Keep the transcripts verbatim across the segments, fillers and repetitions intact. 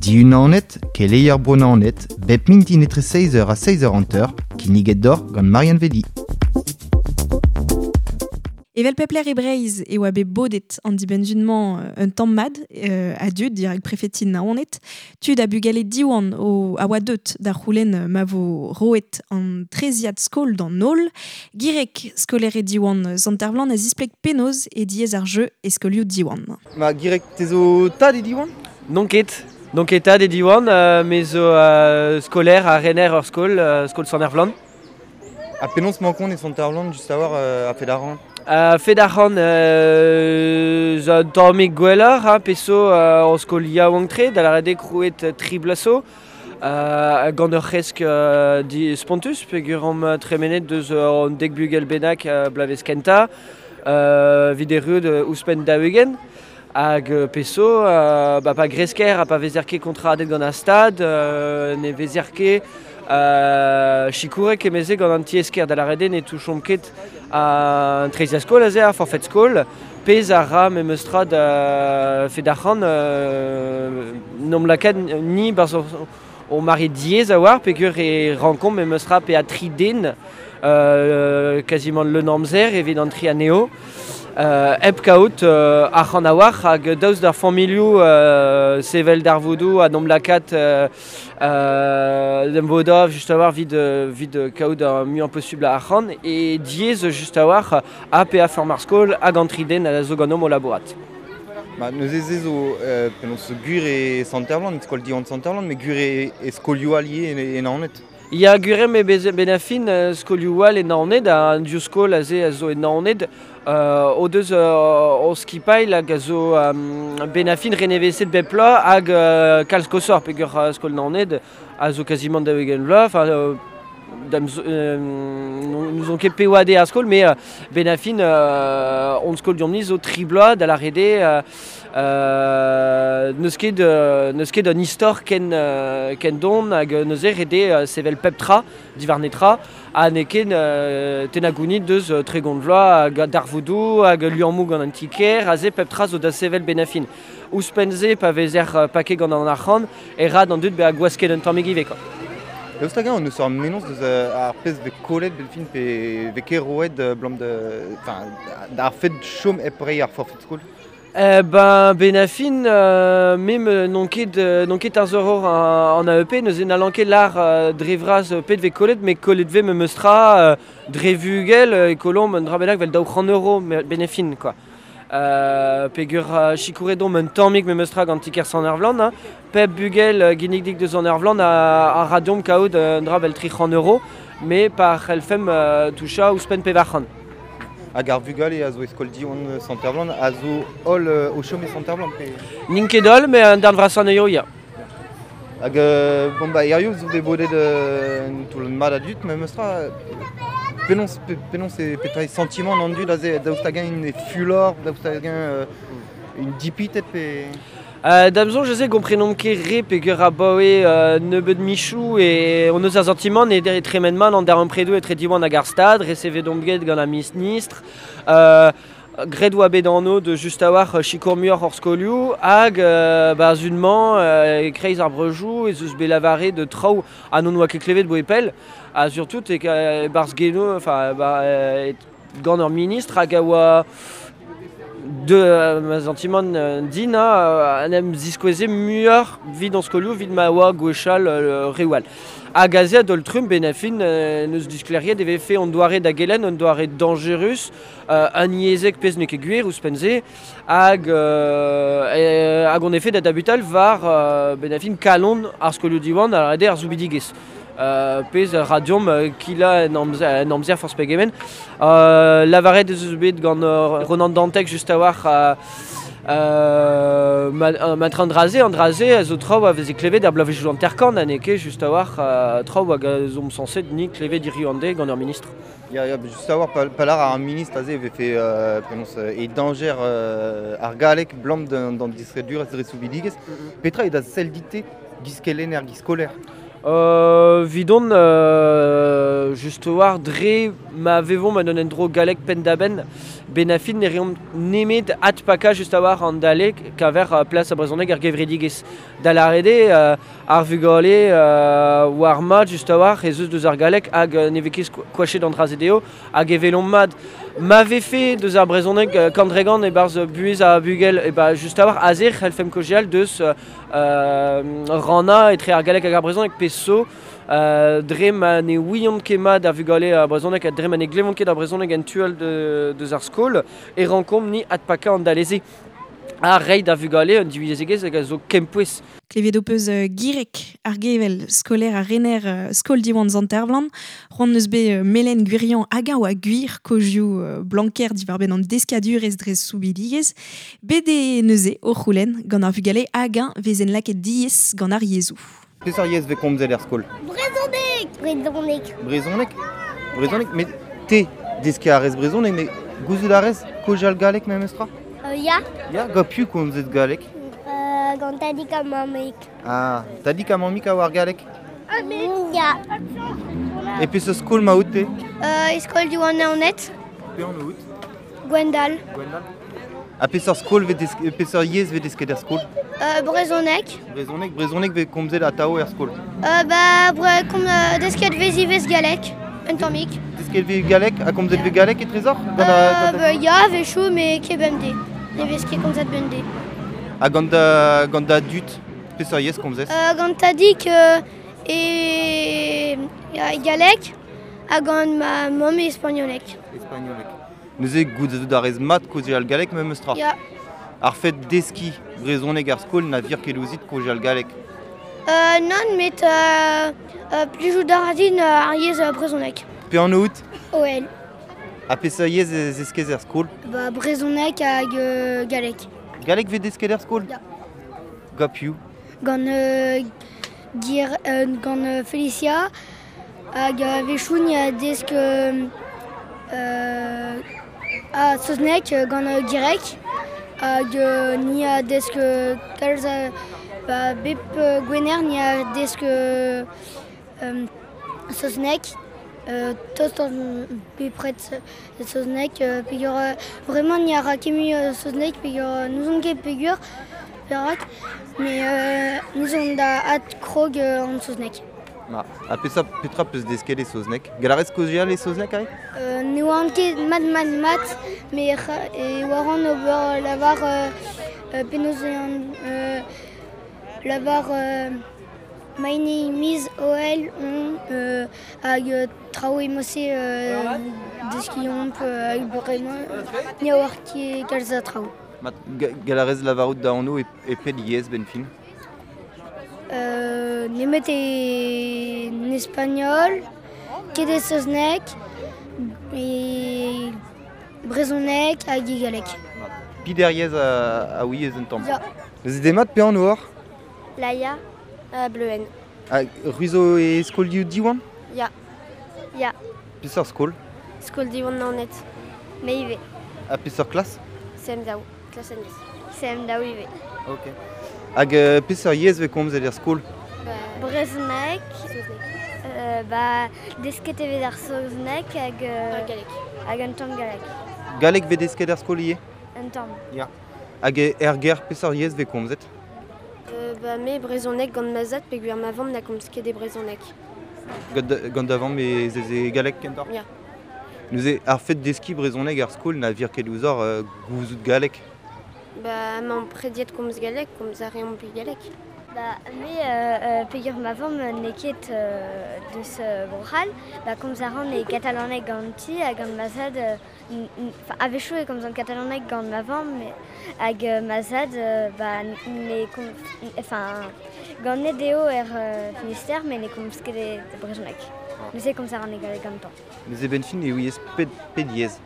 Diunanet, keleier Bro Naoned, bep mintin etre seizh eur ha seizh eur hanter, kinniget deoc'h gant Marianne Vedi. Evel pep lec'h e Breizh e oa bet bodet an dibenn-sizhun-mañ un tamm mat euh, a dud dirak prefeti Naoned, tud ha bugale Diwan o a oa deut da c'houlenn ma vo roet an treziad skol d'an holl. Gireg skolaer e Diwan Sant-Ervlan a zispleg penaos e diaes ar jeu e skolioù Diwan. Ma Gireg, te zo tad e Diwan? Non ket. Non ket tad e Diwan, euh, me zo euh, skolaer ha rener ur skol, euh, skol Sant-Ervlan. Ha penaos 'mañ kont e Sant-Ervlan just a-walc'h euh, a-fet arc'hant? A-fet arc'hant euh, zo un tammig gwelloc'h, ha pezh zo euh, ur skol yaouank-tre, da lâret eo krouet tri bloaz zo. Euh, gant ur c'hresk euh, di spontus, peogwir omp tremenet deus euh, an dek bugel bennak euh, bloavezh kentañ, euh, evit erruout ouzhpenn daou-ugent. Hag euh, pezh zo, euh, ba, pa gresker ha pa vezer ket kontradet gant ar stad, euh, ne vezer ket euh, sikouret emeze gant an tiez-kêr da lâret eo ne touchomp ket an treziad skol aze, ar forfait skol, pezh a ra memes tra da fet arc'hant euh, n'omp lakaet ni barzh o mare diaes a-walc'h peogwir e rankomp memes tra pe a tri den euh, quasiment leun amzer evit an tri anezho. Euh, hep kaout euh, arc'hant a-walc'h hag daoust d'ar familhoù euh, sevel darvoudoù ha n'omp lakaat euh, euh, d'em vodañ just a-walc'h evit, evit kaout ar muiañ posubl a arc'hant e diaes just a-walc'h ha pe a feurm ar skol hag an tri den a zo ganeomp o labourat. Ma neuze se zo euh, penaos gwir e Sant-Ervlan, skol Diwan Sant-Ervlan, met gwir e, e skolioù all ivez e, e Naoned. Ya gwir eo me bez benafin euh, skolioù all e Naoned, an div skol aze a zo e Naoned, euh, o deus euh, o skipailh hag a zo euh, benafin renevezet bep bloaz hag euh, kalz koshoc'h peogwir uh, skol Naoned a zo quasiment daou-ugent vloaz, enfin euh, da'm zo, euh, n'ouzon ket pe oad eo ar skol, met euh, benafin euh, hon skol deomp-ni zo tri bloaz da lâret eo euh, euh, n'eus ket euh, n'eus ket un istor ken, euh, ken don hag neuze ret eo euh, sevel pep tra, diwar netra, ha n'eo ket euh, tennañ gounid deus euh, tregont vloaz hag darvoudoù hag liammoù gant an ti-kêr, aze pep tra zo da sevel benafin. Ouzhpenn-se pa vezer euh, paket gant an arc'hant, e ra d'an dud bezañ gwasket un tammig ivez quoi. Daoust hag-eñ hon eus ur mennozh deus euh, ar pezh vez kollet benfin pe vez ket roet euh, 'blam de, enfin, d'ar fed chom hep reiñ ar forfait skol? Eh ben benafin euh, mem n'on ket euh, n'on ket teñzoror an, an A E P neuze n'hallan ket lâr euh, dre vras pet vez kollet met kollet vez memes tra euh, dre vugel euh, e kollomp un dra bennak 'vel daou c'hant euro benafin quoi. Euh, peogwir euh, sikouret omp un tammig memes tra gant ti-kêr Sant-Ervlan, hein. Pep bugel euh, ginidik deus Sant-Ervlan a, a ra deomp kaout un dra 'vel tri c'hant euro, met pa c'hellfemp euh, touchañ ouzhpenn pevar c'hant. Hag ar vugale a zo e skol Diwan Sant-Ervlan a zo holl euh, o chom e Sant-Ervlan pe... N'int ket holl, met un darn vrasañ anezho ya. Hag euh, bon ba hiziv zo bet bodet euh, un toullad mat a dud memes tra penaos pe, penaos e petra eo santimant an dud aze daoust hag-eñ int e fulor, daoust hag-eñ euh, int dipitet pe... Euh, da'm soñj aze gomprenomp ket re peogwir abaoe euh, nebeud michoù e hon eus ar santimant e e tremen mat an darempredoù etre Diwan hag ar stad, resevet omp get gant ar ministr, euh, graet oa bet anv de just a-walc'h sikour muioc'h hor skolioù hag euh, ba zun-mañ euh, e-kreiz ar breujoù ez eus bet lavaret de traoù ha n'hon oa ket klevet 'boe pell, ha surtout e e-barzh genoù, enfin ba, euh, gant ur ministr hag a oa de euh, ma santimant euh, din ha en em ziskoueze muioc'h 'vit an skolioù 'vit ma oa gwechall euh, reoù all. Hag aze a-daol trumm benafin euh, neus disklêriet e vefe an doare da gelenn, an doare dañjerus, euh, unyezhek pezh n'eo ket gwir ouzhpenn-se, hag, euh, hag on efe da dabutal war euh, benafin kalon ar skolioù Diwan a lâret eo ar soubidigezh. Euh, pezh a ra deomp euh, kilañ en amzer, en amzer forzh pegement. Euh, lavaret ez eus bet gant euh, Ronan Dantec just a-walc'h euh, euh, ma, euh, ma train draze, an draze a zo traoù a veze klevet ar bloavezhioù hanter-kant ha n'eo ket just a-walc'h euh, traoù hag a zo sañset ni klevet hiziv an deiz gant ur ministr. Ya, ya, just a-walc'h pa, pa lâr ar ministr aze e vefe euh, penaos e dañjer euh, ar galleg 'blam d'an distredurezh dre soubidigezh. Petra eo da sell dit-te giz kelenner, giz skolaer? Euh, vidon euh, just war dre ma vevomp ma non endro galek pendaben benafin ne reomp nemet at paka just a war an dalek kaver uh, plas a brezhoneg ar gevredigez da l'arede euh, ar vugale euh, war mat just a war ez eus deus ar galek hag euh, ne vez ket koachet d'an dra-se hag evelomp mat ma vefe deus ar brezhoneg euh, kandregan e barz buez a bugel e ba just a war azer c'hellfemp kojeal deus euh, ranna etre ar galek hag ar brezhoneg pe so euh, dre ma ne ouiont ket mat ar vugale ar brezhoneg ha dre ma ne glevont ket ar brezhoneg en tual de, deus ar skol e rankomp ni adpaka an daleze a rei da vugale un divyezhegezh hag a zo kempouez. Klevet ho peus uh, Girek ar gevel skolaer ar rener uh, skol Diwan Zantervlan, c'hoant neus bet uh, Melen Gwirion hag a oa gwir kozioù uh, Blanquer diwar-benn an deskadurez dre soubidigez, bet e neuze o c'houlenn gant ar vugale hag un vezen laket diez gant ar yezhoù. Peseurt yezh vez komzet er skol? Brezhoneg! Brezhoneg. Brezhoneg? Brezhoneg, met te deskiñ a rez brezhoneg, met gouzout a rez kozhal galleg memestra? Euh, ya. Ya, gant piv komzet galleg? Euh, gant tadig ha mammig. Ah, tadig ha mammig a oar galleg? Ya. E peseurt skol ma out te? Euh, e skol Diwan Naoned. Pe an out? Gwendal. Gwendal. Ha peseurt skol vez desk- peseurt yezh vez desket er skol? Euh, brezhoneg. Brezhoneg, brezhoneg vez komzet atao er skol. Euh, ba, bre, kom, euh, desket vez ivez galleg, un tammig. Desket vez galleg ha komzet vez galleg e trezor? Gant a, Euh, gant a... ba, ya, vez chou, mais ket bemdez. Ne vez ket komzet bemdez. Ha gant da, gant da dud, peseurt yezh komzez? Euh, gant tadig euh, e, e galleg ha gant ma mamm e espagnolek. Espagnolek. Neuze gouzout a rez mat kozhal galleg memestra. Ya. Ar fet deski brezhoneg ar skol na vir ket ouzit kozhal galleg. Euh, non, met euh, euh, plijout a ra din euh, ar yezh euh, brezhoneg. Pe an out? O L. Ha peseurt yezh ez eskez er skol? Ba, brezhoneg hag euh, galleg. Galleg vez desket er skol? Ya. Gant piv? Gant, euh, Gir, euh, gant euh, Felicia hag euh, vechoù ni a desk euh, euh, a saozneg euh, gant euh, Girek hag euh, ni a desk euh, kalz a, ba, bep euh, gwener ni a desk euh, euh, saozneg euh, tost an bepred saozneg euh, peogwir euh, vraiment ni a ra ket mui euh, saozneg peogwir euh, n'ouzon ket peogwir perak mais euh, n'ouzon da adkrog euh, an saozneg. Ma, ha peseurt petra peus desket e saozneg? Gall a rez kozhal e saozneg aze? Euh, ne oan ket mat mat mat, met c'ha- e oaran ober lavar euh, euh, penaos eo an euh, lavar euh, my name is O L on euh, hag euh, traoù emose euh, deskiomp euh, hag bremañ ni a oar ket kalz a traoù. Mat, ga- gall a rez lavarout da anv e, e pet yezh ben fin? Euh, nemet e en espagnol, ket e saozneg, e brezhoneg hag e galleg. Pider yezh a, a ouiez un tamm. Ya. Neuze demat pe an oar? Laia, euh, Bleuen. Ha ruzo e skol Diwan? Ya. Ya. Peseurt skol? Skol Diwan Naoned. Me ivez. Ha peseurt klas? C M daou, klas N S. C M daou ivez. Ok. Hag euh, peseurt yezh vez komzet er skol? Brezhoneg. Euh, ba, desket e vez ar saozneg hag, euh, hag un tamm galleg. Galleg vez desket er skol ivez? Un tamm. Ya. Hag er ger peseurt yezh vez komzet? Euh, ba, me brezhoneg gant ma zad peogwir ma vamm na komz ket e brezhoneg. Gant, gant da vamm e ez e galleg kentoc'h? Ya. Neuze ar fet deskiñ brezhoneg er skol na vir ket ouzhoc'h euh, gouzout galleg. Ba, mañ prediet komz galleg, komz a reomp galleg. Ba, me euh, euh, peogwir ma vamm n'eo ket euh, deus euh, Bro-C'hall, ba, komz a ran e katalaneg ganti hag gant ma zad, euh, n- n- enfin, a-wechoù e komzan katalaneg gant ma vamm, mais hag euh, ma zad, euh, ba, ne kom, enfin, gant ne deo er euh, Finistère, mais ne komz ket e brezhoneg. Neuze komz a ran e galleg gantañ. Neuze ben fin e ouiez pet, pet yezh.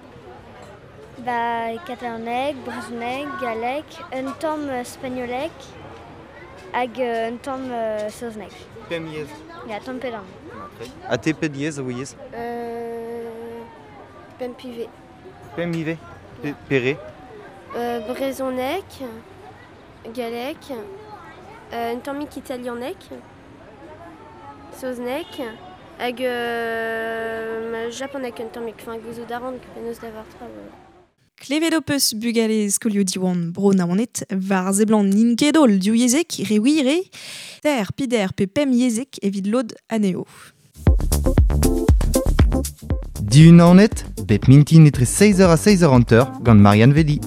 Ba, katalaneg, brezhoneg, galleg, un tamm euh, spagnoleg hag euh, un tamm euh, saozneg. Pemp yezh. Ya, tamm pe damm. Ha te pet yezh a ouiez? Euh, pemp ivez. Pemp ivez? Pe, pere? Euh, brezhoneg, galleg, euh, un tammig italianeg, Saozneg, hag euh, japoneg un tammig, enfin gouzout a ran penaos lavar tra. Klevet ho peus bugale skolioù Diwan bro Naoned war seblant n'int ket holl div yezhek re wir eo, ter, pider pe pemp yezhek evit lod anezho. Dihun Naoned, bep mintin etre seiz eur ha seiz eur hanter gant Marianne Velli.